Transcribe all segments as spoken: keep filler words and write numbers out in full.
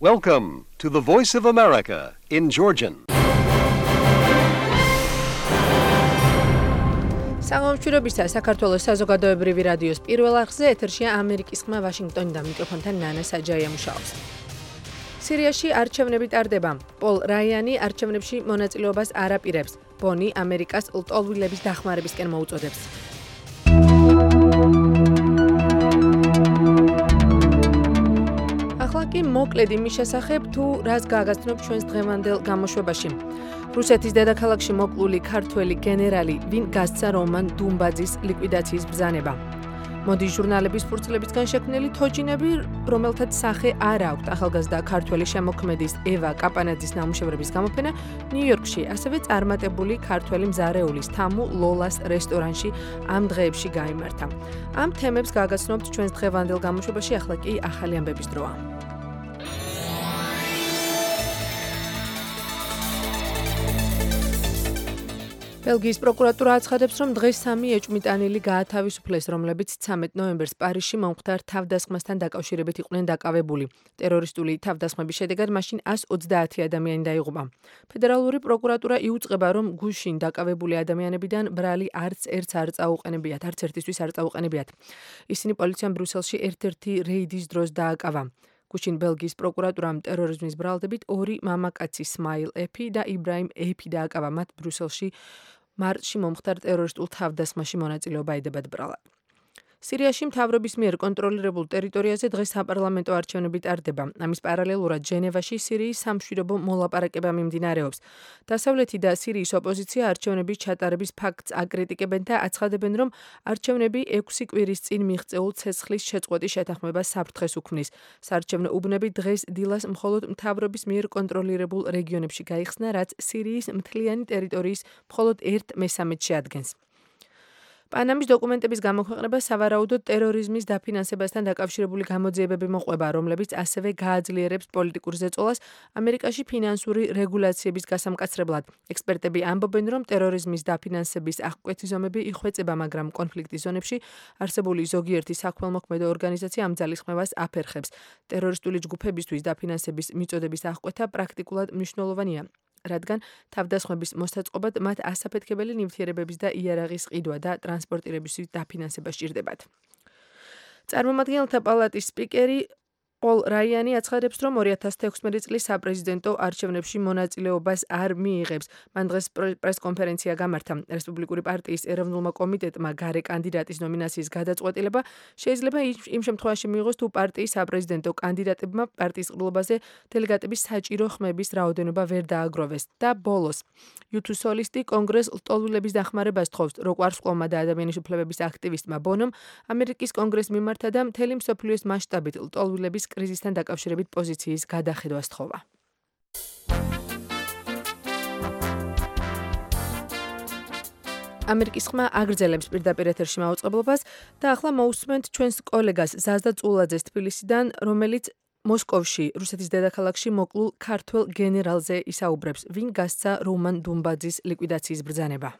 Welcome to the Voice of America in Georgian. Საღამოჩვირობისა საქართველოს საზოგადოებრივი რადიოს პირველ არხზე ეთერშია ამერიკის ხმა ვაშინგტონიდან მიკროფონთან ნანა საჯაია მუშაობს. სირიაში არჩევნები ტარდება. პოლ რაიანი არჩევნებში მონაწილეობას არ აპირებს. ბონი ამერიკას ლტოლვილების დახმარებისკენ მოუწოდებს. ახლა კი მოკლედ იმის შესახებ, თუ რას გააგრძნობ ჩვენს დღევანდელ გამოშვებაში. რუსეთის დედაქალაქში მოკლული ქართველი გენერალი, ვინ გასცა რომან დუმბაძის ლიკვიდაციის ბრძანება. მოდი ჟურნალების ფურცლებისგან შექმნილი თოჯინები, რომელთაც სახე არ აქვთ ახალგაზრდა ქართველი შემოქმედის ევა კაპანაძის ნამუშევრების გამოფენა ნიუ-იორკში, ასევე წარმატებული ქართველი მზარეულის თამუ ლოლას რესტორანში ამ დღეებში გაიმართა. ამ თემებს გააგრძნობთ ჩვენს დღევანდელ გამოშვებაში, ახლა კი ახალი ამბების დროა. ბელგიის პროკურატურა აცხადებს, რომ დღეს სამი ეჭვმიტანილი გაათავისუფლეს, რომლებიც ცამეტ ნოემბერს პარიზში მომხდარ თავდასხმასთან დაკავშირებით იყვნენ დაკავებული. ტერორისტული თავდასხმების შედეგად მაშინ ას ოცდაათი ადამიანი დაიღუპა. ფედერალური პროკურატურა იუწყება, რომ გუშინ დაკავებული ადამიანებიდან ბრალი არც ერთს არ წაუყენებიათ, არც ერთისთვის არ წაუყენებიათ. ისინი პოლიციამ ბრიუსელში ერთ-ერთი რეიდის დროს დააკავა. გუშინ ბელგიის პროკურატურამ ტერორიზმის ბრალდებით ორი მამაკაცი სმაილ ეფი და იბრაიმ ეფი დააკავა, მათ ბრიუსელში მარტში მომხდარ ტერორისტულ თავდასხმაში მონაწილეობა ედებათ ბრალად. სირიაში მთავრობის მიერ კონტროლირებულ ტერიტორიაზე დღეს საპარლამენტო არჩევნები ტარდება. ამის პარალელურად ჟენევაში სირიის სამშვიდობო მოლაპარაკება მიმდინარეობს. დასავლეთი და სირიის ოპოზიცია არჩევნების ჩატარების ფაქტს აკრიტიკებენ და აცხადებენ, რომ არჩევნები ექვსი კვირის წინ მიღწეულ ცეცხლის შეწყვეტის შეთანხმებას საფრთხეს უქმნის. საარჩევნო უბნები დღეს დილას მხოლოდ მთავრობის მიერ კონტროლირებულ რეგიონებში გაიხსნა, რაც სირიის მთლიანი ტერიტორიის მხოლოდ ერთ მესამედს შეადგენს. პანამის დოკუმენტების გამოქვეყნება სავარაუდოდ ტერორიზმის დაფინანსებასთან დაკავშირებული გამოძიებები მოყვება, რომლებიც ასევე გააძლიერებს პოლიტიკურ ზეწოლას ამერიკაში ფინანსური რეგულაციების გასამკაცრებლად. ექსპერტები ამბობენ, რომ ტერორიზმის დაფინანსების აღკვეთი ზომები იხვეწება, მაგრამ კონფლიქტის ზონებში არსებული ზოგიერთი საქველმოქმედო ორგანიზაცია ამ ძალისხმევას აფერხებს. ტერორისტული ჯგუფებისთვის დაფინანსების მიწოდების აღკვეთა პრაქტიკულად მნიშვნელოვანია, რადგან თავდასხმების მოსაწყობად მათ ასაფეთქებელი ნივთიერებების და იარაღის ყიდვა და ტრანსპორტირების დაფინანსება სჭირდებათ. წარმომადგენელთა პალატის სპიკერი პოლ რაიანი აცხადებს, რომ ორი ათას თექვსმეტი წლის საპრეზიდენტო არჩევნებში მონაწილეობას არ მიიღებს. მან დღეს პრესკონფერენცია გამართა. რესპუბლიკური პარტიის ეროვნულმა კომიტეტმა გარე კანდიდატის ნომინაციის გადაწყვეტილება შეიძლება იმ შემთხვევაში მიიღოს, თუ პარტიის საპრეზიდენტო კანდიდატებმა პარტიის ყრილობაზე დელეგატების საჭირო ხმების რაოდენობა ვერ დააგროვეს. და ბოლოს, იუთუს სოლისტი კონგრესს ლტოლვილების დახმარებას თხოვს. როკვარსკვლავმა და ადამიანის უფლებების აქტივისტმა ბონომ ამერიკის კონგრესს მიმართა და მთელი მსოფლიოს მასშტაბით ლტოლვილების კრიზისთან დაკავშირებით პოზიციის გადახედვას თხოვა. ამერიკის ხმა აგრძელებს პირდაპირ ეთერში მაუწყებლობას და ახლა მოусმენთ ჩვენს კოლეგას ზაზდა წულაძეს თბილისიდან, რომელიც მოსკოვში, რუსეთის დედაქალაქში მოკლულ ქართველ გენერალზე ისაუბრებს, ვინ გასცა რომან დუმბაძის ლიკვიდაციის ბრძანება.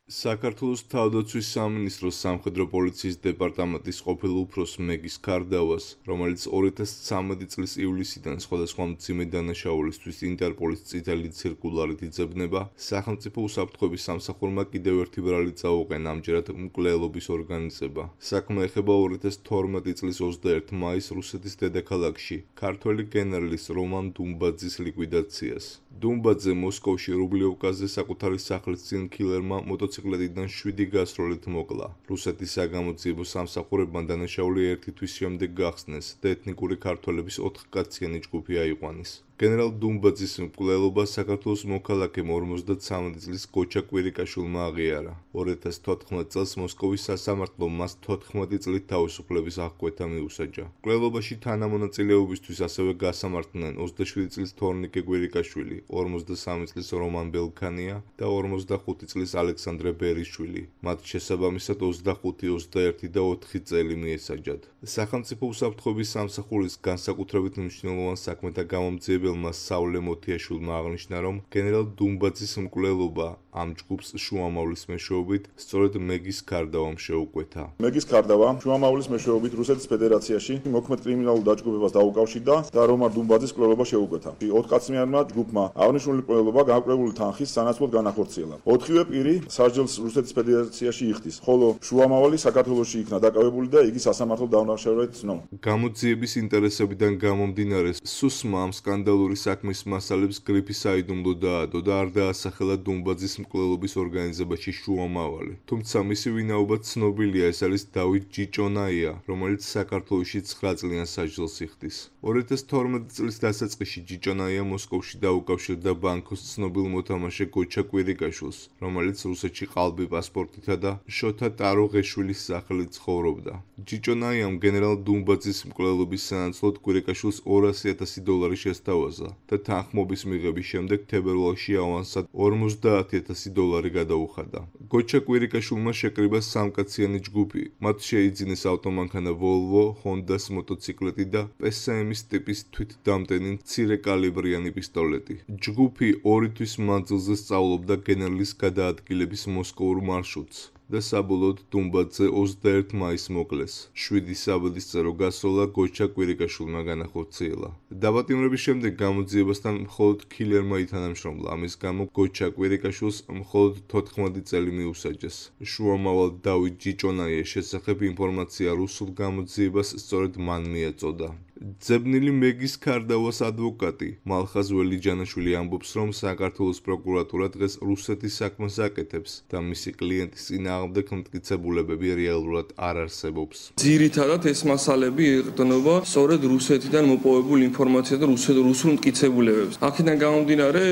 საქართველოს თავდაცვის სამინისტროს სამხედრო პოლიციის დეპარტამენტის ყოფილ უფროს მეგის ქარდავას, რომელიც ორი ათას ცხრამეტი წლის ივლისიდან სხვადასხვა მძიმე დანაშაულისთვის ინტერპოლის წითელი ცირკულარით იძებნება, სახელმწიფო უსაფრთხოების სამსახურმა კიდევ ერთი ბრალი წაუყენა, ამჯერად მკვლელობის ორგანიზება. საქმე ეხება ორი ათას თორმეტი წლის ოცდაერთი მაისს რუსეთის დედაქალაქში ქართველი გენერლის რომან დუმბაძის ლიკვიდაციას. დუმბაძე მოსკოვში რუბლიოვკაზე საკუთარი სახლის წინ კილერმა მოტოციკლეტიდან შვიდი გასროლით მოკლა. რუსეთის საგამოძიებო სამსახურებმა დანაშაული ერთი თვის შემდეგ გახსნეს და ეთნიკური ქართველების ოთხკაციანი ჯგუფი აიყვანეს. გენერალ დუმბაძის მკვლელობა საქართველოს მოქალაქემ ორმოცდაცამეტი წლის გოჩა კვირიკაშვილმა აღიარა. ორი ათას თოთხმეტ წელს მოსკოვის სასამართლომ მას თოთხმეტი წლით თავისუფლების აღკვეთა მიუსაჯა. მკვლელობაში თანამონაწილეობისთვის ასევე გასამართლდნენ ოცდაშვიდი წლის თორნიკე კვირიკაშვილი, ორმოცდასამი წლის რომან ბელქანია და ორმოცდახუთი წლის ალექსანდრე ბერიშვილი. მათ შესაბამისად ოცდახუთი, ოცდაერთი და ოთხი წელი მიესაჯათ. სახელმწიფო უსაფრთხოების სამსახურის განსაკუთრებით მნიშვნელოვან საქმეთა გამომძიებელ მცველმა საულე მოთიაშვილმა აღნიშნა, რომ გენერალ დუმბაძის მკვლელობა ამ ჯგუფს შუამავლის მეშვეობით სწორედ მეგის ქარდავამ შეუკვეთა. მეგის ქარდავა შუამავლის მეშვეობით რუსეთის ფედერაციაში მოქმედ კრიმინალურ დაჯგუფებას დაუკავშირდა და რომარ დუმბაძის მკვლელობა შეუკვეთა. ოთხკაცმიანმა ჯგუფმა აღნიშნული მკვლელობა გააკრებული თანხის სანაცვლოდ განახორციელა. ოთხივე პირი სასჯელს რუსეთის ფედერაციაში იხდის, ხოლო შუამავალი საქართველოში იქნა დაკავებული და იგი სასამართლო დაუნახშევრად ცნო. გამოძიების ინტერესებიდან გამომდინარე, სუსმა ამ სკანდალური საქმის მასალებს გრიფი საიდუმლო დაადო და არ დაასახელა დუმბაძის მკვლელობის ორგანიზებაში შუამავალი. თუმცა მისი ვინაობა ცნობილია, ეს არის დავით ჯიჭონაია, რომელიც საქართველოში ცხრა წლიან სასჯელს იხდის. ორი ათას თორმეტი წლის დასაწყისში ჯიჭონაია მოსკოვში დაუკავშირდა ბანკოს ცნობილ მოთამაშე გოჩა კვირიკაშვილს, რომელიც რუსეთში ყალბი პასპორტითა და შოთა ტაროღეშვილის სახელით ცხოვრობდა. ჯიჭონაიამ გენერალ დუმბაძის მკვლელობის სანაცვლოდ კვირიკაშვილს ორასი ათასი დოლარი შესთავაზა და თანხმობის მიღების შემდეგ თებერვალში ავანსად ორმოცდაათი ათასი დოლარი გადაუხადა. გოჩა კვირიკაშვილმა შეკრიბა სამკაციანი ჯგუფი, მათ შეიძინეს ავტომანქანა Volvo, Honda-ს მოტოციკლეტი და პე ეს ემ-ის ტიპის თვითდამტენი მცირე კალიბრიანი პისტოლეტი. ჯგუფი ორი თვის მანძილზე სწავლობდა გენერლის გადაადგილების მოსკოვურ მარშრუტს და საბოლოოდ დუმბაძე ოცდაერთი მაისს მოკლეს. შვიდი საბედისწერო გასვლა გოჩა კვირიკაშვილმა განახორციელა. დაპატიმრების შემდეგ გამოძიებასთან მხოლოდ ქილერმა ითანამშრომლა, ამის გამო გოჩა კვირიკაშვილს მხოლოდ თოთხმეტი წელი მიუსაჯეს. შუამავალ დავით ჯიჭონაიას შესახებ ინფორმაცია რუსულ გამოძიებას სწორედ მან მიაწოდა. ძებნილი მეგის ქარდავას ადვოკატი მალხაზ ველიჯანაშვილი ამბობს, რომ საქართველოს პროკურატურა დღეს რუსეთის საქმეს აკეთებს და მისი კლიენტის წინააღმდეგ მტკიცებულებები რეალურად არ არსებობს. ძირითადად ეს მასალები ეყრდნობა სწორედ რუსეთიდან მოპოვებულ ინფორმაციას და რუსულ მტკიცებულებებს. აქედან გამომდინარე,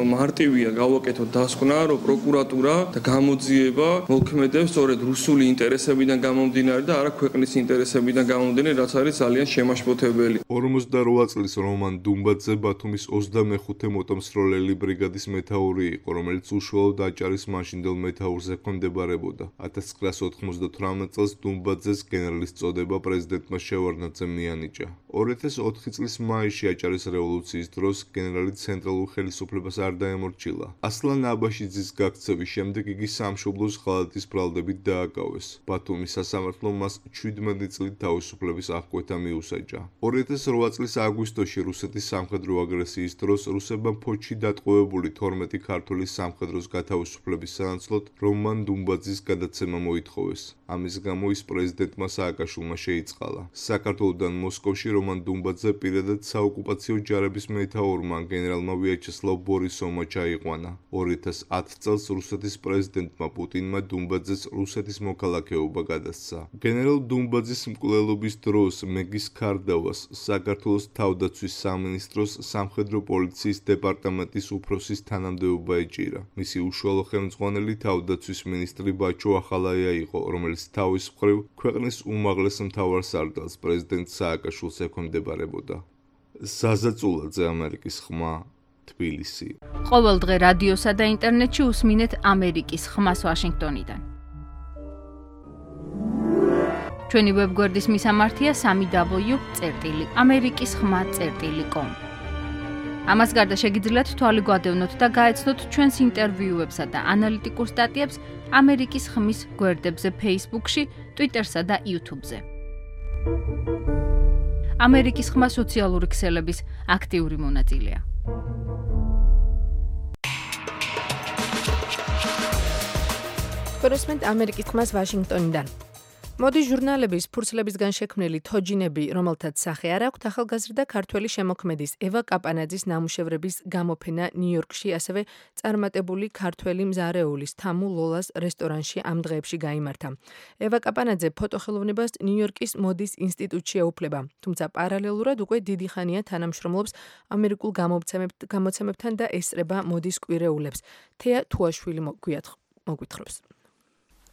მარტივია გავაკეთოთ დასკვნა, რომ პროკურატურა და გამოძიება მოქმედებს სწორედ რუსული ინტერესებიდან გამომდინარე და არა ქვეყნის ინტერესებიდან გამომდინარე, რაც არის ძალიან შემაშფოთებელი. ორმოცდარვა წლის რომან დუმბაძე ბათუმის ოცდამეხუთე მოტომსროლელი ბრიგადის მეთაური იყო, რომელიც უშუალოდ აჭარის მაშინდელ მეთაურს ექვემდებარებოდა. ათას ცხრაას ოთხმოცდათვრამეტ წელს დუმბაძეს გენერლის წოდება პრეზიდენტმა შევარდნაძემ მიანიჭა. ორი ათას ოთხი წლის მაისში აჭარის რევოლუციის დროს გენერალი ცენტრალურ ხელისუფლებას არ დაემორჩილა. ასლან აბაშიძის გაქცევის შემდეგ იგი სამშობლოს ღალატის ბრალდებით დააკავეს. ბათუმის სასამართლომ მას ჩვიდმეტი წლით თავისუფლების აღკვეთა მიუსაჯა. ორი ათას რვა წლის აგვისტოში რუსეთის სამხედრო აგრესიის დროს რუსებმა ფოთში დატყვევებული თორმეტი ქართველი სამხედროს გათავისუფლების სანაცვლოდ რომან დუმბაძის გადაცემა მოითხოვეს. ამის გამო ის პრეზიდენტმა სააკაშვილმა შეიწყალა. საქართველოდან მოსკოვში რომან დუმბაძე პირადად საოკუპაციო ჯარების მეთაურმა გენერალმა ვიაჩესლავ ბორისოვმა ჩაიყვანა. ორი ათას ათი წელს რუსეთის პრეზიდენტმა პუტინმა დუმბაძეს რუსეთის მოქალაქეობა გადასცა. გენერალ დუმბაძის მკვლელობის დროს მეგის ქარდავას საქართველოს თავდაცვის სამინისტროს სამხედრო პოლიციის დეპარტამენტის უფროსის თანამდებობა ეჭირა. მისი უშუალო ხელმძღვანელი თავდაცვის მინისტრი ბაჩო ახალაია იყო, რომელიც თავის მხრივ ქვეყნის უმაღლეს მთავარსარდალს პრეზიდენტ სააკაშვილს ექვემდებარებოდა. საზაწულაძე, ამერიკის ხმა, თბილისი. ყოველ დღე რადიოსა და ინტერნეტში უსმინეთ ამერიკის ხმას ვაშინგტონიდან. ჩვენი ვებგვერდის მისამართია სამი დაბლიუ წერტილი ამერიკის ხმა წერტილი კომ. ამას გარდა შეგიძლიათ თვალი გვადევნოთ და გაეცნოთ ჩვენს ინტერვიუებსა და ანალიტიკურ სტატიებს ამერიკის ხმის გვერდებზე Facebook-ში, Twitter-სა და YouTube-ზე. ამერიკის ხმა სოციალური ქსელების აქტიური მონაწილეა. კორესპონდენტ ამერიკის ხმას ვაშინგტონიდან. მოდი ჟურნალების ფურცლებისგან შექმნილი თოჯინები, რომელთაც სახე არ აქვთ, ახალგაზრდა ქართველი შემოქმედის ევა კაპანაძის ნამუშევრების გამოფენა ნიუ-იორკში, ასევე წარმატებული ქართველი მზარეულის თამუ ლოლას რესტორანში ამ დღეებში გაიმართა. ევა კაპანაძე ფოტოხელოვნებას ნიუ-იორკის მოდის ინსტიტუტში ეუფლება, თუმცა პარალელურად უკვე დიდი ხანია თანამშრომლობს ამერიკულ გამოცემებთან და ესწრება მოდის კვირეულებს. თეა თუაშვილი მოგვითხრობს.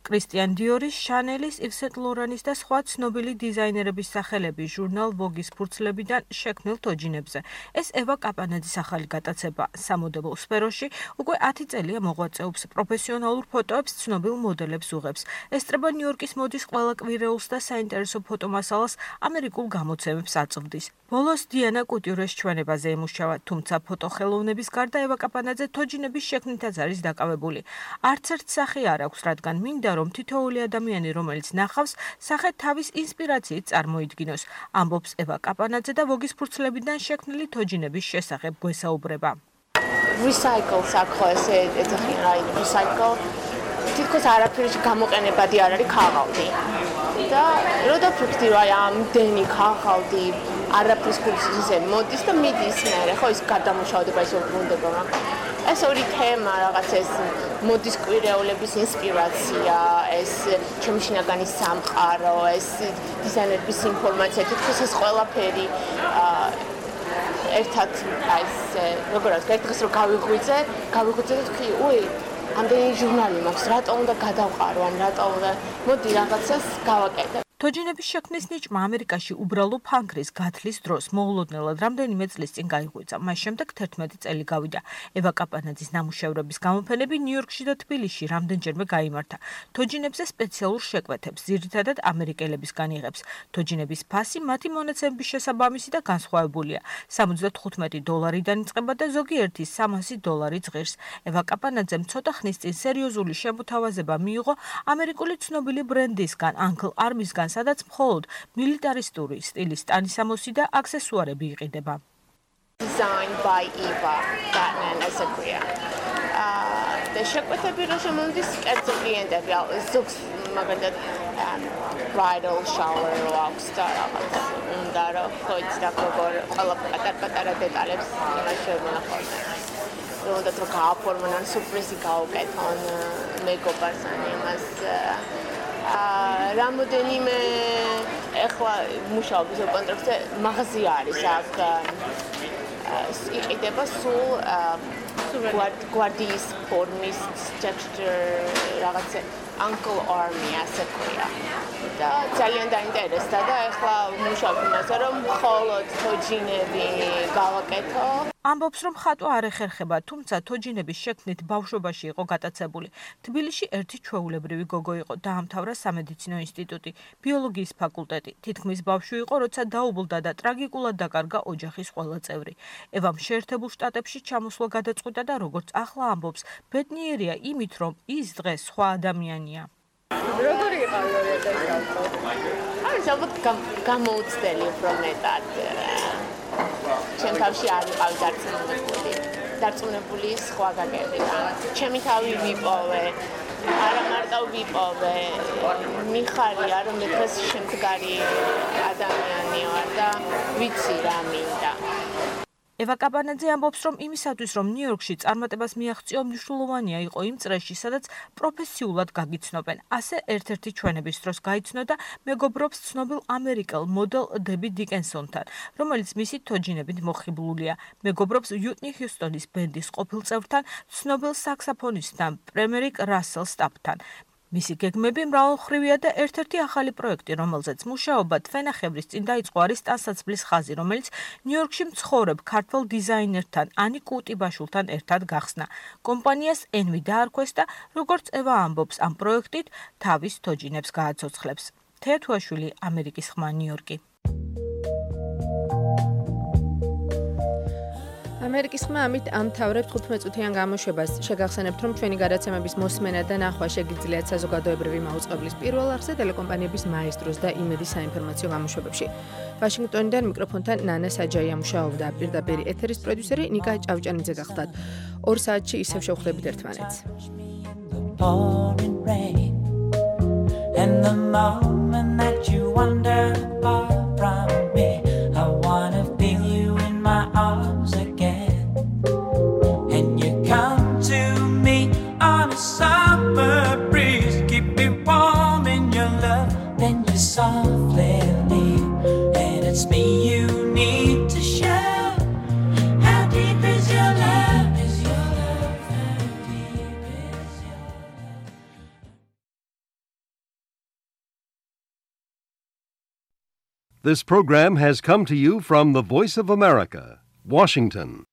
კრისტიან დიორის, შანელის, Yves Saint Laurent-ის და სხვა ცნობილი დიზაინერების სახელები ჟურნალ Vogue-ის ფურცლებიდან შექმნილ თოჯინებზე. ეს ევა კაპანაძის ახალი გატაცება სამოდელო სფეროში უკვე ათი წელია მოღვაწეობს, პროფესიონალურ ფოტოებს ცნობილ მოდელებს უღებს. ესწრება ნიუ-იორკის მოდის ყველა კვირეულს და საინტერესო ფოტომასალას ამერიკულ გამოცემებს აწვდის. ბოლოს დიანა კუტიურეს ჩვენებაზე ემუშავა, თუმცა ფოტოხელოვნების გარდა ევა კაპანაძე თოჯინების შექმნითაც არის დაკავებული. არც ერთ სახე არ აქვს, რადგან მინდა რომ თითოეული ადამიანი, რომელიც ნახავს, სახე თავის ინსპირაციით წარმოიდგინოს. ამბობს ევა კაპანაძე და Vogue-ის ფურცლებიდან შექმნილი თოჯინების შესახებ გვესაუბრება. Recycle საქო ესე ეძახიან რა recycle თითქოს არაფერში გამოყენებადი არ არის ქაღალდი. და როდა ფიქრდი რა ამდენი ქაღალდი არაფრის კურსზე მოდის და მიდის მე ხო ის გადამუშავდება ის უბრუნდება მაგრამ ეს ორი თემა რაღაც ეს მოდის კვირეულების ინსპირაცია ეს ჩემი შინაგანი სამყარო ეს დიზაინერების ინფორმაცია თითქოს ეს ყველაფერი ერთად აი ეს როგორ არის ერთ დღეს რომ გავიღვიძე გავიღვიძე და თქვი უი ამდენი ჟურნალი მაქვს რატო უნდა გადავყარო ან რატო უნდა მოდი რაღაცას გავაკეთე თოჯინების შექმნის ნიჭმა ამერიკაში უბრალო ფანქრის გათლის დროს მოულოდნელად რამდენიმე წლის წინ გაიღვიძა. მას შემდეგ თერთმეტი წელი გავიდა. ევა კაპანაძის ნამუშევრების გამოფენები ნიუ-იორკში და თბილისში რამდენჯერმე გაიმართა. თოჯინებზე სპეციალურ შეკვეთებს ძირითადად ამერიკელებისგან იღებს. თოჯინების ფასი მათი მონაცემების შესაბამისი და განსხვავებულია. სამოცდათხუთმეტი დოლარიდან იწყება და ზოგიერთი სამასი დოლარი ძლიერს. ევა კაპანაძემ ცოტა ხნის წინ სერიოზული შემოთავაზება მიიღო ამერიკული ცნობილი ბრენდისგან, Uncle Army-სგან სადაც მხოლოდ მილიტარისტური სტილის ტანისამოსი და აქსესუარები იყიდება. Designed by Eva Batman as a queer. და შეკვეთები რო შემოდის კერძო კლიენტები ზოგს მაგალითად bridal shower რო აქვს და რაღაც უნდა რომ ხო იცი როგორ ყველა პატარ-პატარა დეტალებს იმას შემონახავთ. რომ და თქო გააფორმონ ან სურპრიზი გაუკეთონ მეგობარს ან იმას რამოდენიმე ეხლა მუშაობის კონტრაქტზე მაღაზია არის აქ იყიდება სულ გვარდიის ფორმის texture რაღაცა Uncle Army ასე ქვია და ძალიან დაინტერესდა და ეხლა მუშაობ იმაზე რომ მხოლოდ თოჯინები გავაკეთო ამბობს რომ ხატვა არ ეხერხება, თუმცა თოჯინების შექმნით ბავშვობაში იყო გატაცებული. თბილისში ერთი ჩვეულებრივი გოგო იყო, დაამთავრა სამედიცინო ინსტიტუტი, ბიოლოგიის ფაკულტეტი. თითქმის ბავშვი იყო, როცა დაუბლდა და ტრაგიკულად დაკარგა ოჯახის ყველა წევრი. ევამ შეერთებულ შტატებში ჩამოსვლა გადაწყვიტა და როგორც ახლა ამბობს, ბედნიერია იმით, რომ ის დღეს სხვა ადამიანია. როგორი იყავი ორი ათასი წელს? არის ალბათ გამოუცდელი უფრო მეტად. ჩემ თავში არ ვიყავი დარწმუნებული. დარწმუნებული სხვა გაგებიდან. ჩემი თავი ვიპოვე. არა მარტო ვიპოვე. მიხარია რომ მე დღეს შემდგარი ადამიანი ვარ და ვიცი რა მინდა. ევა კაპანაძე ამბობს, რომ იმისათვის, რომ ნიუ-იორკში წარმატებას მიაღწიო, მნიშვნელოვანია იყო იმ წრეში, სადაც პროფესიულად გაგიცნობენ. ასე ერთ-ერთი ჩვენების დროს გაიცნო და მეგობრობს ცნობილ ამერიკელ მოდელ დები დიკენსონთან, რომელიც მისი თოჯინებით მოხიბლულია. მეგობრობს უიტნი ჰიუსტონის ბენდის ყოფილ წევრთან, ცნობილ საქსაფონისტთან, პრემერიკ რასელ სტაპთან. მისი გეგმები მრავალმხრივია და ერთ-ერთი ახალი პროექტი, რომელზეც მუშაობა თვენახევრის წინ დაიწყო, არის ტანსაცმლის ხაზი, რომელიც ნიუ-იორკში მცხოვრებ ქართველ დიზაინერთან, ანი კუტიბაშვილთან ერთად გახსნა. კომპანიას ენვი დაარქვეს და როგორც ევა ამბობს, ამ პროექტით თავის თოჯინებს გააცოცხლებს. თეა თუაშვილი, ამერიკის ხმა, ნიუ-იორკი. ამერიკის ხმა ამით ამთავრებს თხუთმეტწუთიან გამოშვებას. შეგახსენებთ, რომ ჩვენი გადაცემების მოსმენა და ნახვა შეგიძლიათ საზოგადოებრივი მაუწყებლის პირველ არხზე, ტელეკომპანიების მაესტროს და იმედის საინფორმაციო გამოშვებებში. ვაშინგტონიდან მიკროფონთან ნანა საჯაია მუშაობდა, პირდაპირ ეთერის პროდიუსერი ნიკა ჭავჭანიძე გახდათ. ორ საათში ისევ შევხვდებით ერთმანეთს. And the moment that you wander far from me, I wanna feel you in my arms again. And you come to me on a summer breeze, keep me warm in your love, then you softly leave, and it's me you need to share. How deep is your love? Is your love how deep is your love? This program has come to you from the Voice of America, Washington.